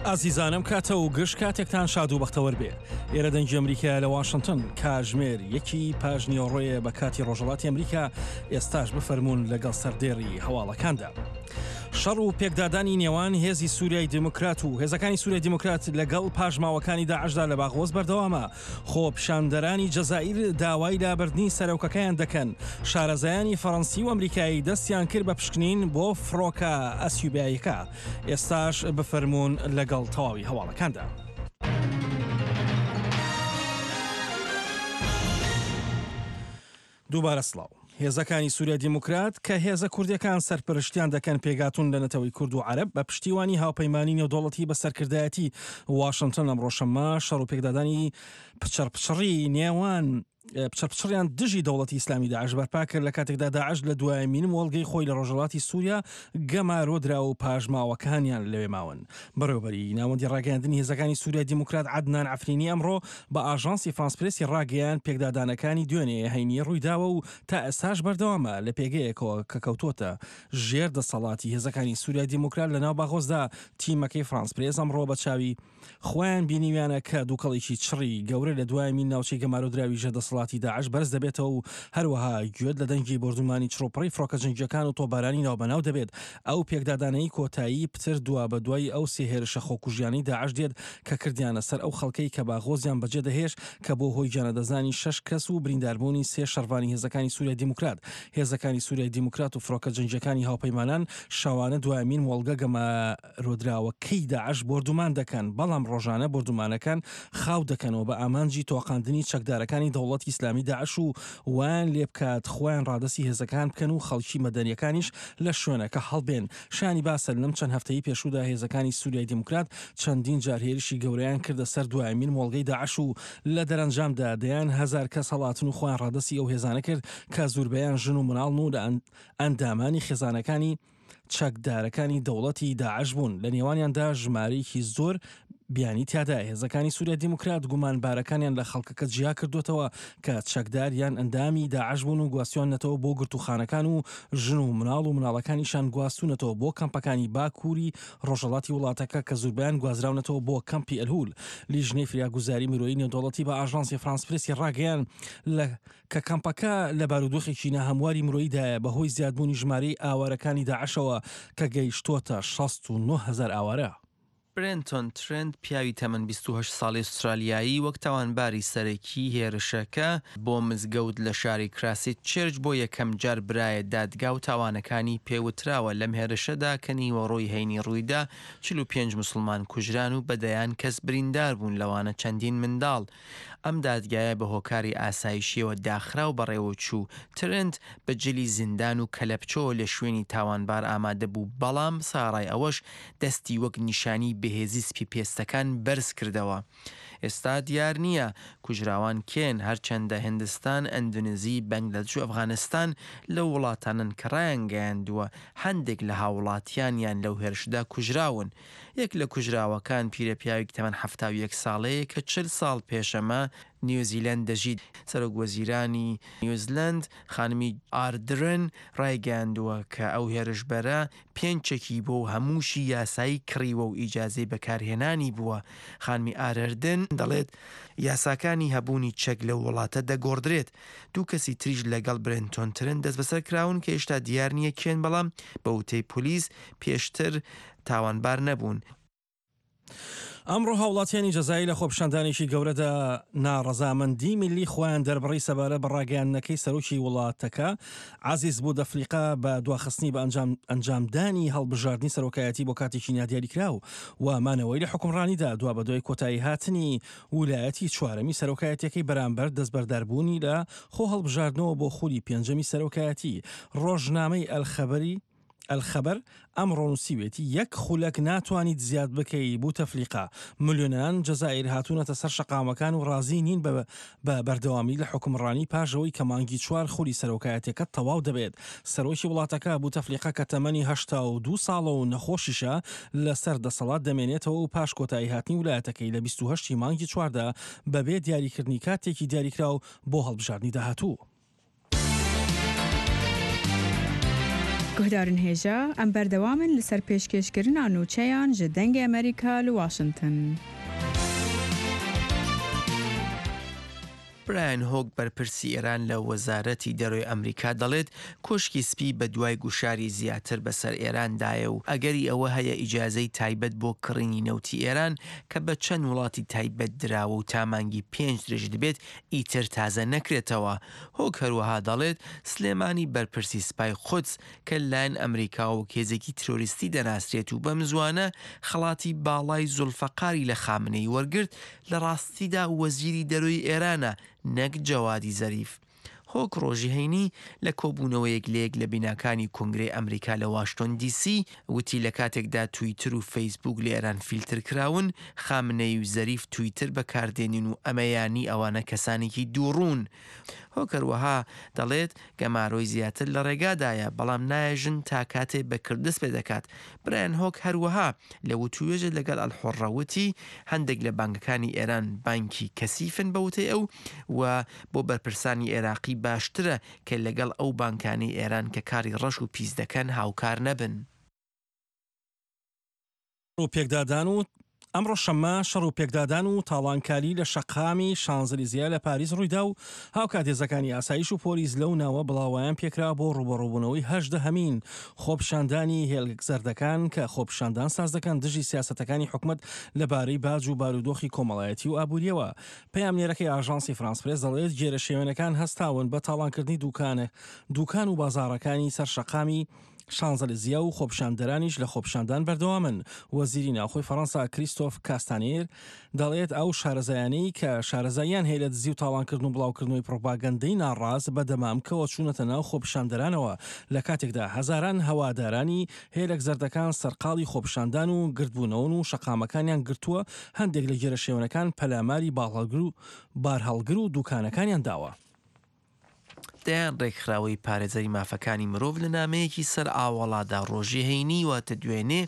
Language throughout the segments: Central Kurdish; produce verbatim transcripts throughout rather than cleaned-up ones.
ئازیزانم کاتە و گشت کاتێکتان شاد و بەختەوەر بێ. ئێرە دەنگی ئەمریکا لە واشنگتن، کاژمێر یەکی پاش نیوەڕۆیە بە کاتی ڕۆژهەڵاتی ئەمریکا. ئێستاش بفەرموون لەگەڵ سەردێڕی هەواڵەکاندا. شەڕ و پێکدادانی نێوان هێزی سووریای دیموکرات و هێزەکانی سووریای دیموکرات لەگەڵ پاشماوەکانی داعشدا لە باغۆز بەردەوامە. خۆپیشاندەرانی جەزائیر داوای لابردنی سەرۆکەکەیان دەکەن. شارەزایانی فەڕەنسی و ئەمریکایی دەستیان کرد بە پشکنین بۆ فڕۆکە ئەسیوبیایەکە. ئێستاش بفەرموون لەگەڵ تەواوی هەواڵەکاندا. دووبارە سڵاو. هێزەکانی سووریا دیموکرات کە هێزە کوردیەکان سەرپەرشتیان دەکەن پێگاتون لە نەتەوەی کورد و عەرەب بە پشتیوانی هاوپەیمانی نێودەوڵەتی بە سەرکردایەتی واشنگتن ئەمڕۆ شەممە شەڕ و پێکدادانی پچڕپچڕی نێوان پچڕپچڕیان دژی دەوڵەتی ئیسلامی داعش بەرپا کرد لە کاتێکدا داعش لە دوایمین مۆڵگەی خۆی لە ڕۆژهەڵاتی سووریا گەمارۆ درا و پاشماوەکانیان لەوێ ماون. بەڕێوەبەری ناوەندی ڕاگەیاندنی هێزەکانی سووریا دیموکرات عەدنان عەفرینی ئەمڕۆ بە ئاژانسی فرانس پرێسی ڕاگەیان پێکدادانەکانی دوێنێ هەینی ڕوویداوە و تا ئێستاش بەردەوامە لە پێگەیەکەوە کە کەوتۆتە ژێر دەسەڵاتی هێزەکانی سووریا دیموکرات لەناو باغۆزدا. تیمەکەی فرانس پرێس ئەمڕۆ بە چاوی خۆیان بینیویانە کە دووکەڵێکی چڕی گەورە لە دوایمین ناوچەی گەمارۆدراوی ژێر دەسەڵاتی داعش بەرز دەبێتەوە و هەروەها گوێت لە دەنگی بۆردومانی چڕوپڕی فڕۆکە جەنگیەکان و تۆپبارانی ناوبەناو دەبێت. ئەو پێکدادانەی کۆتایی پتر دوا بە دوای ئەو سێ هێرشە خۆکوژیانەی داعش دێت کە کردیانە سەر ئەو خەڵکەی کە باغۆزیان بەجێ دەهێشت کە بۆ هۆی گیانلەدەستدانی شەش کەس و برینداربوونی سێ شەڕڤانی هێزەکانی سووریای دیموکرات. هێزەکانی سووریای دیموکرات و فڕۆکە جەنگیەکانی هاوپەیمانان شەوانە دوایمین مۆڵگە گەمارۆدراوەکەی داعش بۆردومان دەکەن، بەڵام ڕۆژانە بۆردومانەکان خاو دەکەنەوە بە ئامانجی تۆقاندنی چەکدارەکانی دەوڵەتی ئیسلامی داعش و وایان لێ بکات خۆیان ڕادەستی هێزەکان بکەن و خەڵکی مەدەنیەکانیش لە شوێنەکە هەڵبێن. شانی باسە لەم چەند هەفتەی پێشوودا هێزەکانی سووریای دیموکرات چەندین جار هێرشی گەورەیان کردە سەر دوایمین مۆڵگەی داعش و لە دەرەنجامدا دەیان هەزار کەس هەڵاتن و خۆیان ڕادەستی ئەو هێزانە کرد کە زوربەیان ژن و مناڵن و لە ئەندامانی خێزانەکانی چەکدارەکانی دەوڵەتی داعش بوون. لە نێوانیاندا ژمارەیەکی زۆر بیانی تیادا. هێزەکانی سووریا دیموکرات گومانبارەکانیان لە خەڵکەکە جیا کردوتەوە کە چەکدار یان ئەندامی داعش بوون و گواستویاننەتەوە بۆ گرتوخانەکان و ژن و مناڵ و مناڵەکانیشان گواستونەتەوە بۆ کەمپەکانی باکووری ڕۆژهەڵاتی وڵاتەکە کە زوربیان گوازراونەتەوە بۆ کەمپی ئەلهول. لیژنەی فریاگوزاری مرۆیی نێودەوڵەتی بە ئاژانسی فرانس پرێسی ڕاگەیان لە کە کەمپەکە لە بارودۆخێکی ناهەمواری مرۆییدایە بەهۆی زیادبوونی ژمارەی ئاوارەکانی داعشەوە کە گەیشتۆتە شەست و نۆ هەزار ئاوارە. برێنتۆن ترێنت پیاوی تەمەن بیست و هەشت ساڵی ئوسترالیایی وەک تاوانباری سەرەکی هێرشەکە بۆ مزگەوت لە شاری کراسیت چێرچ بۆ یەکەم جار برایە دادگا و تاوانەکانی پێوتراوە. لەم هێرشەدا کە نیوەڕۆی هەینی ڕوویدا چل و پێنج مسلمان کوژران و بەدەیان کەس بریندار بوون، لەوانە چەندین منداڵ. ئەم دادگایە بە هۆکاری ئاسایشیەوە داخرا و بەڕێوەچوو. ترێنت بە جلی زیندان و کەلەپچەوە لە شوێنی تاوانبار ئامادە بوو، بەڵام ساڕای ئەوەش دەستی وەک نیشانی بەهێزی سپی پێستەکان بەرز کردەوە. ئێستا دیار نییە کوژراوان کێن، هەرچەندە هندستان، ئەندونزی، بەنگلادش و ئەفغانستان لەو وڵاتانن کە ڕایانگەیاندووە هەندێک لە هاوڵاتیانیان لەو هێرشدا کوژراون. یەک لە کوژراوەکان پیرەپیاوێکی تەمەن حەفتا و یەک ساڵەیە کە چل ساڵ پێشەمە نیوزیلەند دەژیت. سەرۆک وەزیرانی نیوزلەند خانمی ئاردرن ڕایگەیاندووە کە ئەو هێرشبەرە پێنج چەکی بۆ و هەمووشی یاسایی کڕیوە و ئیجازەی بەکارهێنانی بووە. خانمی ئارەردن دەڵێت یاساکانی هەبوونی چەک لەو وڵاتە دەگۆڕدرێت. دوو کەسی تریش لەگەڵ برێنتۆن ترن دەستبەسەر کراون کە هێشتا دیار نییە کێن، بەڵام بە وتەی پۆلیس پێشتر تاوانبار نەبوون. ئەمڕۆ هاوڵاتیانی جەزایی لە خۆپیشاندانێکی گەورەدا ناڕەزامەندی میللی خۆیان دەربڕی سەبارەت بە ڕاگەیاندنەکەی سەرۆکی وڵاتەکە عەزیز بوتەفلیقە بە دواخستنی بە ئەنجامدانی هەڵبژاردنی سەرۆکایەتی بۆ کاتێکی نادیاریکراو و مانەوەی لە حکومڕانیدا دوا بەدوای کۆتایی هاتنی ولایەتی چوارەمی سەرۆکایەتیەکەی بەرامبەر دەستبەرداربوونی لە خۆ هەڵبژاردنەوە بۆ خولی پێنجەمی سەرۆکایەتی. ڕۆژنامەی ئەلخەبەری الخبر ئەمڕۆ نووسیوێتی یەک خولەک ناتوانیت زیاد بکەی بوتەفلیقە. ملیۆنان جەزائیر هاتوونەتە سەر شەقامەکان و ڕازی نین بە بەردەوامی لە حکومڕانی پاژەوەی کە مانگی چوار خولی سەرۆکایەتەکە تەواو دەبێت. سەرۆکی وڵاتەکە بوتەفلیقە کە تەمەنی هەشتا و دوو ساڵە و نەخۆشیشە لەسەر دەسەڵات دەمێنێتەوە و پاش کۆتایی هاتنی ولایەتەکەی لە بیست و هەشت مانگی چواردا بەبێ دیاریکردنی کاتێکی دیاریکراو بۆ هەڵبژاردنی داهاتوو. Guhdarên hêja em berdewam in li ser pêşkêşkirina nûçeyan ji Dengê Amerîka li Washington. برایان هۆک بەرپرسی ئێران لە وەزارەتی دەرەوەی ئەمریکا دەڵێت کۆشکی سپی بە دوای گوشاری زیاتر بەسەر ئێراندایە و ئەگەری ئەوە هەیە ئیجازەی تایبەت بۆ کڕینی نەوتی ئێران کە بە چەند وڵاتی تایبەت دراوە و تا مانگی پێنج درێژ دەبێت ئیتر تازە نەکرێتەوە. هۆک هەروەها دەڵێت سلێمانی بەرپرسی سپای قودس کە لەلایەن ئەمریکا وەک هێزێکی ترۆریستی دەناسرێت و بەم زوانە خەڵاتی باڵای زولفەقاری لە خامنەی وەرگرت لە ڕاستیدا وەزیری دەرەوەی ئێرانە نەک جەوادی زەریف. هۆک ڕۆژی هەینی لە کۆبوونەوەیەک لە یەک لە بیناکانی کۆنگرەی ئەمریکا لە واشنتۆن دی سی وتی لە کاتێکدا تویتر و فەیسبوک لە ئێران فیلتر کراون، خامنەی و زەریف تویتر بەکاردێنین و ئەمەیانی ئەوانە کەسانێکی دووڕوون. هۆک هەروەها دەڵێت گەمارۆی زیاتر لە ڕێگادایە، بەڵام نایەژن تا کاتێ بە کردس پێ دەکات. برایان هۆک هەروەها لە وتوێژە لەگەڵ ئەلحوڕە وتی هەندێک لە بانکەکانی ئێران بانکی کەسیفن بە وتەی ئەو و بۆ بەرپرسانی عێراقی باشترە کە لەگەڵ ئەو بانکانی ئێران کە کاری ڕەش و پیس دەکەن هاوکار نەبن. و پێکدادان و ئەمڕۆ شەممە شەڕ و پێکدادان و تاڵانکاری لە شەقامی شانزلیزیە لە پاریس ڕوویدا و هاوکات هێزەکانی ئاسایش و پۆلیس لەو ناوە بڵاوەیان پێکرا بۆ ڕوبەڕووبوونەوەی هەژدەهەمین خۆپیشاندانی هێلک زەردەکان کە خۆپیشاندان ساز دەکەن دژی سیاسەتەکانی حکومەت لەبارەی باج و بارودۆخی کۆمەڵایەتی و ئابووریەوە. پەیامنێرەکەی ئاژانسی فرانس پرێس دەڵێت گێرە شێوێنەکان هەستاون بە تاڵانکردنی دوکانە دوکان و بازاڕەکانی سەر شەقامی شانزەلیزیا و خۆپیشاندەرانیش لە خۆپیشاندان بەردەوامن. وەزیری ناوخۆی فەڕەنسا کریستۆف کاستانیر دەڵێت ئەو شارەزایانەی کە شارەزاییان هەیە لە دزی و تاڵانکردن و بڵاوکردنەوەی پرۆپاگەندەی ناڕاست بە دەمامکەوە چوونەتە ناو خۆپیشاندەرانەوە، لە کاتێکدا هەزاران هەوادارانی هێلک زەردەکان سەرقاڵی خۆپیشاندان و گردبوونەوەن و شەقامەکانیان گرتووە. هەندێک لە گێرەشێوەنەکان پەلاماری باڵهەڵگر و بارهەڵگر و دوکانەکانیان داوە. دەیان ڕێکخراوەی پارێزەری مافەکانی مرۆڤ لە نامەیەکی سەر ئاوەڵادا ڕۆژی هەینی واتە دوێنێ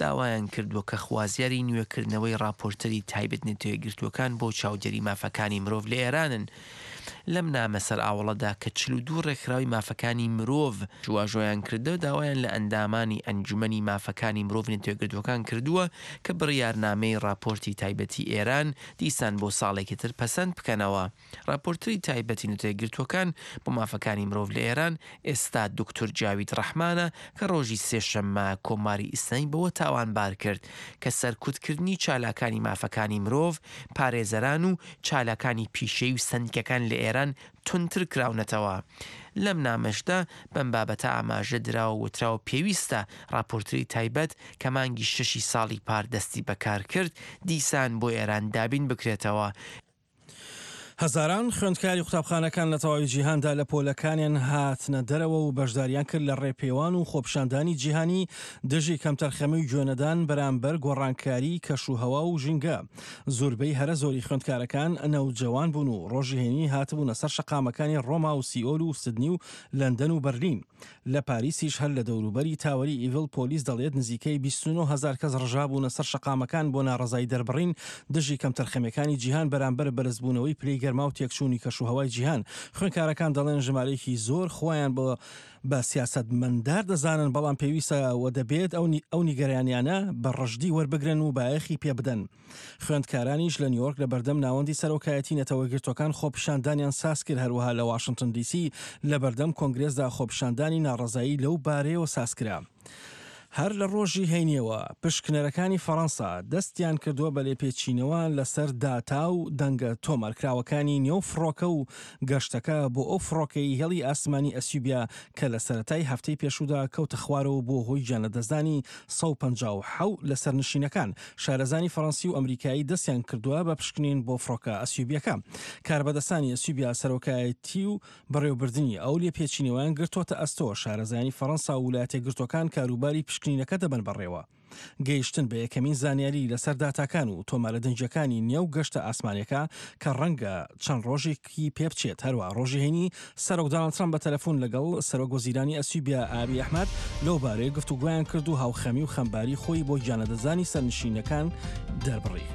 داوایان کردووە کە خوازیاری نوێکردنەوەی راپۆرتەری تایبەت نەتەوەیەکگرتووەکان بۆ چاودێری مافەکانی مرۆڤ لە ئێرانن. لەم نامە سەر ئاوەڵەدا کە چل و دوو ڕێکخراوی مافەکانی مرۆڤ واژۆیان کردە، داوایان لە ئەندامانی ئەنجومەنی مافەکانی مرۆڤ نەتەوەیەکگرتووەکان کردووە کە بڕیارنامەی راپۆرتی تایبەتی ئێران دیسان بۆ ساڵێکی تر پەسەند بکەنەوە. راپۆرتری تایبەتی نەتەوەیەکگرتووەکان بۆ مافەکانی مرۆڤ لە ئێران ئێستا دکتۆر جاوید ڕەحمانە کە ڕۆژی سێشەممە کۆماری ئیسلامی بەوە تاوانبار کرد کە سەرکوتکردنی چالاکانی مافەکانی مرۆڤ، پارێزەران و چالاکانی پیشەی و سەندیکەکان لە ئێران توندتر کراونەتەوە. لەم نامەشدا بەم بابەتە ئاماژە دراوە وتراوە پێویستە راپۆرتری تایبەت کە مانگی شەشی ساڵی پار دەستی بەکار کرد دیسان بۆ ئێران دابین بکرێتەوە. هەزاران خوێندکاری قوتابخانەکان لە تەواوی جیهاندا لە پۆلەکانیان هاتنە دەرەوە و بەشداریان کرد لە ڕێپێوان و خۆپیشاندانی جیهانی دژی کەمتەرخەمی و گوێنەدان بەرامبەر گۆڕانکاری کەش و هەوا و ژینگە. زۆربەی هەرە زۆری خوێندکارەکان نەوجەوان بوون و ڕۆژی هەینی هاتبوونە سەر شەقامەکانی ڕۆما و سیئۆل و سدنی و لەندەن و بەرلین. لە پاریسیش هەر لە دەوروبەری تاوەری ئیڤل پۆلیس دەڵێت نزیکەی بیست و نۆ هەزار کەس ڕژابوونە سەر شەقامەکان بۆ ناڕەزایی دەربڕین دژی کەمتەرخەمیەکانی جیهان بەرامبەر بەرزبوونەوەی پلەی گەرما و تێکچوونی کەشوهەوای جیهان. خوێندکارەکان دەڵێن ژمارەیەکی زۆر خۆیان بە بە سیاسەتمەندار دەزانن، بەڵام پێویستە و دەبێت ئەو نیگەرانیانە بە ڕژدی وەربگرن و بایەخی پێ بدەن. خوێندکارانیش لە نیویۆرک لە بەردەم ناوەندی سەرۆکایەتی نەتەوەیەکگرتووەکان خۆپیشاندانیان ساز کرد. هەروەها لە واشنتن دیسی لە بەردەم کۆنگرێسدا خۆپیشاندانی ناڕەزایی لەو بارەیەوە ساز کرا. هەر لە ڕۆژی هەینیەوە پشکنەرەکانی فەڕەنسا دەستیان کردووە بە لێپێچینەوە لەسەر داتا و دەنگە تۆمارکراوەکانی نێو فڕۆکە و گەشتەکە بۆ ئەو فڕۆکەی هێڵی ئاسمانی ئەسیوبیا کە لە سەرەتای هەفتەی پێشوودا کەوتە خوارەوە بۆ هۆی گیانلەدەستدانی سەد و پەنجا و حەوت لە سەرنشینەکان. شارەزانی فەڕەنسی و ئەمریکایی دەستیان کردووە بە پشکنین بۆ فڕۆکە ئەسیوبیەکە. کاربەدەستانی ئەسیوبیا سەرۆکایەتی و بەڕێوەبردنی ئەو لێپێچینەوەیان گرتووەتە ئەستۆ. شارەزایانی فەڕەنسا و وڵاتە یەکگرتووەکان کاروباری پشکنینەکە دەبەن بەڕێوە. گەیشتن بە یەکەمین زانیاری لەسەر داتاکان و تۆمارە دەنگیەکانی نێو گەشتە ئاسمانیەکە کە ڕەنگە چەند ڕۆژێکی پێ بچێت. هەروە ڕۆژی هەینی سەرۆک دۆناڵد ترەمپ بە تەلەفۆن لەگەڵ سەرۆک وەزیرانی ئەسیوبیا ئابی ئەحمەد لەو بارەیە گفتوگۆیان کرد و هاوخەمی و خەمباری خۆی بۆ گیانلەدەستدانی سەرنشینەکان دەربڕی.